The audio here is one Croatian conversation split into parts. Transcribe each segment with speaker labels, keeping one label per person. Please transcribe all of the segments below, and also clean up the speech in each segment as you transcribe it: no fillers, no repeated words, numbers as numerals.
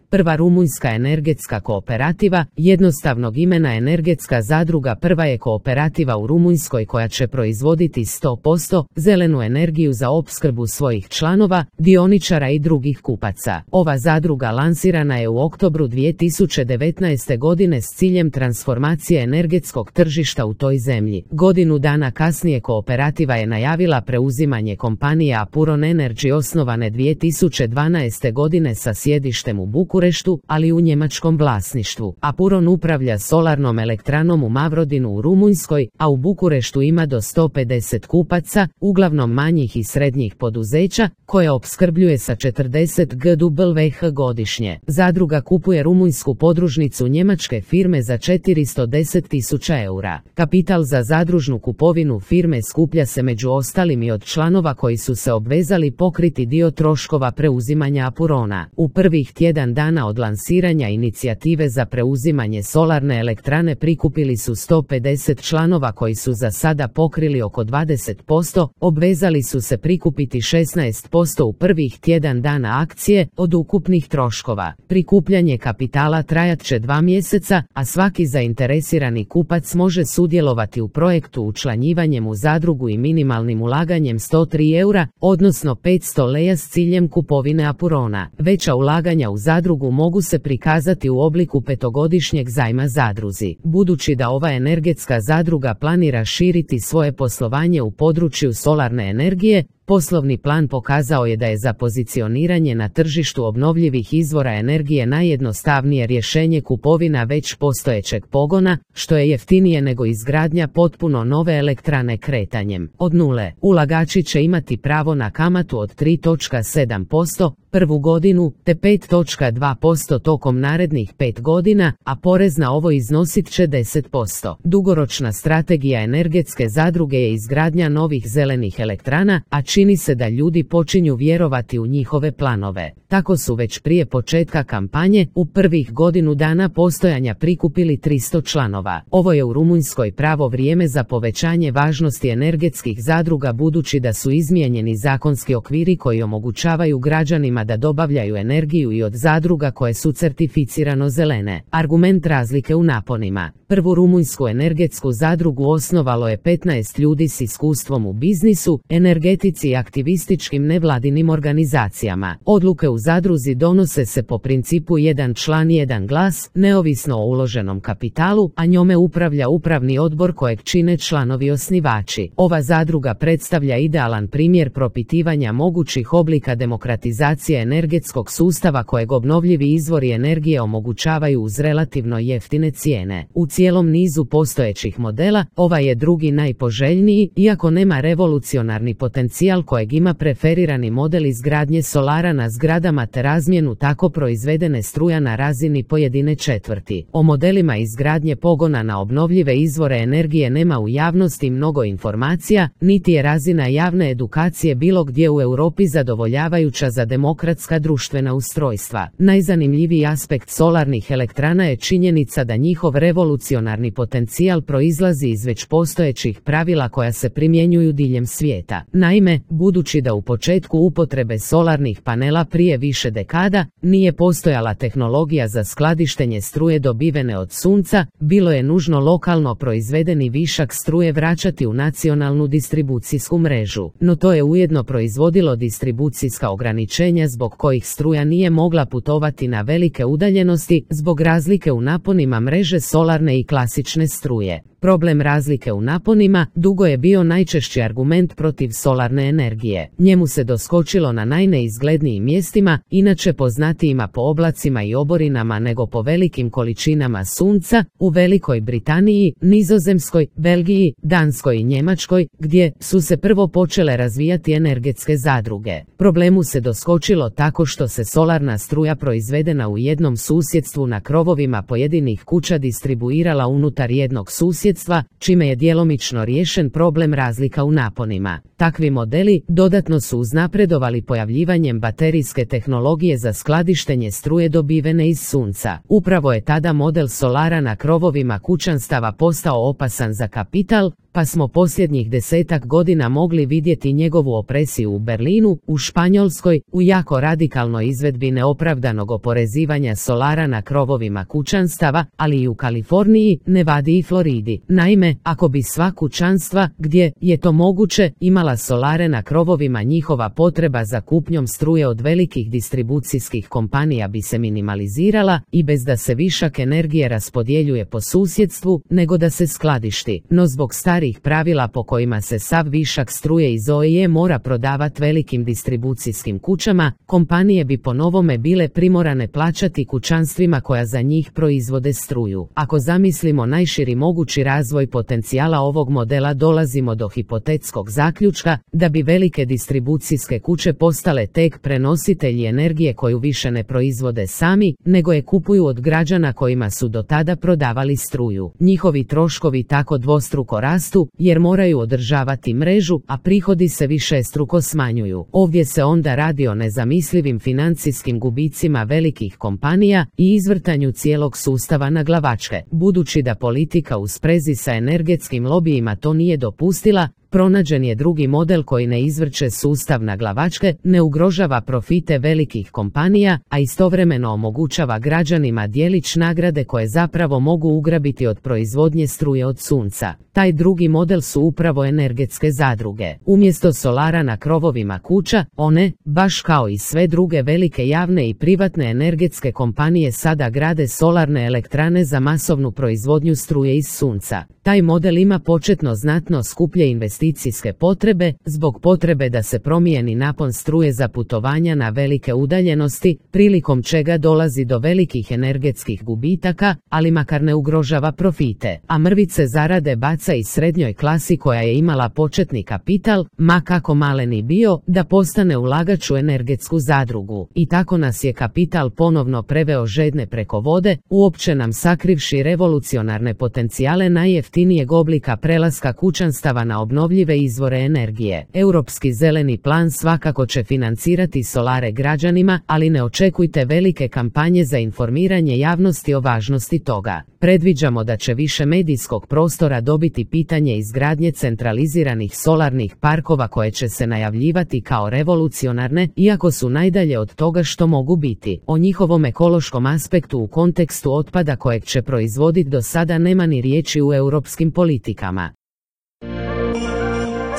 Speaker 1: Prva rumunjska energetska kooperativa, jednostavnog imena energetska zadruga, prva je kooperativa u Rumunjskoj koja će proizvoditi 100% zelenu energiju za opskrbu svojih članova, dioničara i drugih kupaca. Ova zadruga lansirana je u oktobru 2019. godine s ciljem transformacije energetskog tržišta u toj zemlji. Godinu dana kasnije kooperativa je najavila preuzimanje kompanije Apuron Energy osnovane 2012. godine sa sjedištem u Bukureštu, ali u njemačkom vlasništvu. Apuron upravlja solarnom elektranom u Mavrodinu u Rumunjskoj, a u Bukureštu ima do 150 kupaca, uglavnom manjih i srednjih poduzeća, koje opskrbljuje sa 40 GWh godišnje. Zadruga kupuje rumunjsku podružnicu njemačke firme za 410.000 eura. Kapital za zadružnu kupovinu firme skuplja se među ostalim i od članova koji su se obvezali pokriti dio troškova preuzimanja Apurona. U prvih tjedan dana od lansiranja inicijative za preuzimanje solarne elektrane prikupili su 150 članova koji su za sada pokrili oko 20%, obvezali su se prikupiti 16% u prvih tjedan dana akcije od ukupnih troškova. Prikupljanje kapitala trajat će 2 mjeseca, a svaki zainteresirani kupac može sudjelovati u projektu učlanjivanjem u zadrugu i minimalnim ulaganjem 103 eura, odnosno 500 leja s ciljem kupovine Apurona. Veća ulaganja u zadrugu mogu se prikazati u obliku 5-godišnjeg zajma zadruzi. Budući da ova energetska zadruga planira širiti svoje poslovanje u području solarne energije, poslovni plan pokazao je da je za pozicioniranje na tržištu obnovljivih izvora energije najjednostavnije rješenje kupovina već postojećeg pogona, što je jeftinije nego izgradnja potpuno nove elektrane kretanjem od nule. Ulagači će imati pravo na kamatu od 3,7% prvu godinu, te 5,2% tokom narednih 5 godina, a porez na ovo iznosit će 10%. Dugoročna strategija energetske zadruge je izgradnja novih zelenih elektrana, a čini se da ljudi počinju vjerovati u njihove planove. Tako su već prije početka kampanje, u prvih godinu dana postojanja prikupili 300 članova. Ovo je u Rumunjskoj pravo vrijeme za povećanje važnosti energetskih zadruga budući da su izmijenjeni zakonski okviri koji omogućavaju građanima da dobavljaju energiju i od zadruga koje su certificirano zelene. Argument razlike u naponima. Prvu rumunjsku energetsku zadrugu osnovalo je 15 ljudi s iskustvom u biznisu, energetici i aktivističkim nevladinim organizacijama. Odluke u zadruzi donose se po principu jedan član jedan glas, neovisno o uloženom kapitalu, a njome upravlja upravni odbor kojeg čine članovi osnivači. Ova zadruga predstavlja idealan primjer propitivanja mogućih oblika demokratizacije energetskog sustava kojeg obnovljivi izvori energije omogućavaju uz relativno jeftine cijene. U cijelom nizu postojećih modela, ovaj je drugi najpoželjniji, iako nema revolucionarni potencijal kojeg ima preferirani model izgradnje solara na zgradama te razmjenu tako proizvedene struja na razini pojedine četvrti. O modelima izgradnje pogona na obnovljive izvore energije nema u javnosti mnogo informacija, niti je razina javne edukacije bilo gdje u Europi zadovoljavajuća za demokratska društvena ustrojstva. Najzanimljiviji aspekt solarnih elektrana je činjenica da njihov revolucionarni potencijal proizlazi iz već postojećih pravila koja se primjenjuju diljem svijeta. Naime, budući da u početku upotrebe solarnih panela prije više dekada nije postojala tehnologija za skladištenje struje dobivene od sunca, bilo je nužno lokalno proizvedeni višak struje vraćati u nacionalnu distribucijsku mrežu. No to je ujedno proizvodilo distribucijska ograničenja zbog kojih struja nije mogla putovati na velike udaljenosti zbog razlike u naponima mreže solarne i klasične struje. Problem razlike u naponima dugo je bio najčešći argument protiv solarne energije. Njemu se doskočilo na najneizglednijim mjestima, inače poznatijima po oblacima i oborinama nego po velikim količinama sunca, u Velikoj Britaniji, Nizozemskoj, Belgiji, Danskoj i Njemačkoj, gdje su se prvo počele razvijati energetske zadruge. Problemu se doskočilo tako što se solarna struja proizvedena u jednom susjedstvu na krovovima pojedinih kuća distribuirala unutar jednog susjedstva, čime je djelomično riješen problem razlika u naponima. Takvi modeli dodatno su uznapredovali pojavljivanjem baterijske tehnologije za skladištenje struje dobivene iz sunca. Upravo je tada model solara na krovovima kućanstava postao opasan za kapital, pa smo posljednjih 10 godina mogli vidjeti njegovu opresiju u Berlinu, u Španjolskoj, u jako radikalnoj izvedbi neopravdanog oporezivanja solara na krovovima kućanstava, ali i u Kaliforniji, Nevadi i Floridi. Naime, ako bi sva kućanstva, gdje je to moguće, imala solare na krovovima, njihova potreba za kupnjom struje od velikih distribucijskih kompanija bi se minimalizirala i bez da se višak energije raspodjeljuje po susjedstvu, nego da se skladišti. No zbog starih pravila po kojima se sav višak struje iz OIE mora prodavati velikim distribucijskim kućama, kompanije bi po novome bile primorane plaćati kućanstvima koja za njih proizvode struju. Ako zamislimo najširi mogući razvoj potencijala ovog modela, dolazimo do hipotetskog zaključka da bi velike distribucijske kuće postale tek prenositelji energije koju više ne proizvode sami, nego je kupuju od građana kojima su do tada prodavali struju. Njihovi troškovi tako dvostruko rastu jer moraju održavati mrežu, a prihodi se višestruko smanjuju. Ovdje se onda radi o nezamislivim financijskim gubicima velikih kompanija i izvrtanju cijelog sustava na glavačke. Budući da politika u sprezi sa energetskim lobijima to nije dopustila, pronađen je drugi model koji ne izvrće sustav na glavačke, ne ugrožava profite velikih kompanija, a istovremeno omogućava građanima djelić nagrade koje zapravo mogu ugrabiti od proizvodnje struje od sunca. Taj drugi model su upravo energetske zadruge. Umjesto solara na krovovima kuća, one, baš kao i sve druge velike javne i privatne energetske kompanije, sada grade solarne elektrane za masovnu proizvodnju struje iz sunca. Taj model ima početno znatno skuplje investicijske potrebe, zbog potrebe da se promijeni napon struje za putovanja na velike udaljenosti, prilikom čega dolazi do velikih energetskih gubitaka, ali makar ne ugrožava profite, a mrvice zarade baca i srednjoj klasi koja je imala početni kapital, ma kako malen i bio, da postane ulagač u energetsku zadrugu. I tako nas je kapital ponovno preveo žedne preko vode, uopće nam sakrivši revolucionarne potencijale najjeftinijeg oblika prelaska kućanstava na obnovljive izvore energije. Europski zeleni plan svakako će financirati solare građanima, ali ne očekujte velike kampanje za informiranje javnosti o važnosti toga. Predviđamo da će više medijskog prostora dobiti pitanje izgradnje centraliziranih solarnih parkova koje će se najavljivati kao revolucionarne, iako su najdalje od toga što mogu biti. O njihovom ekološkom aspektu u kontekstu otpada kojeg će proizvoditi do sada nema ni riječi u europskim politikama.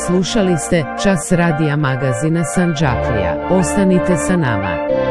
Speaker 1: Slušali ste Čas radija magazina Sandžaklija. Ostanite sa nama.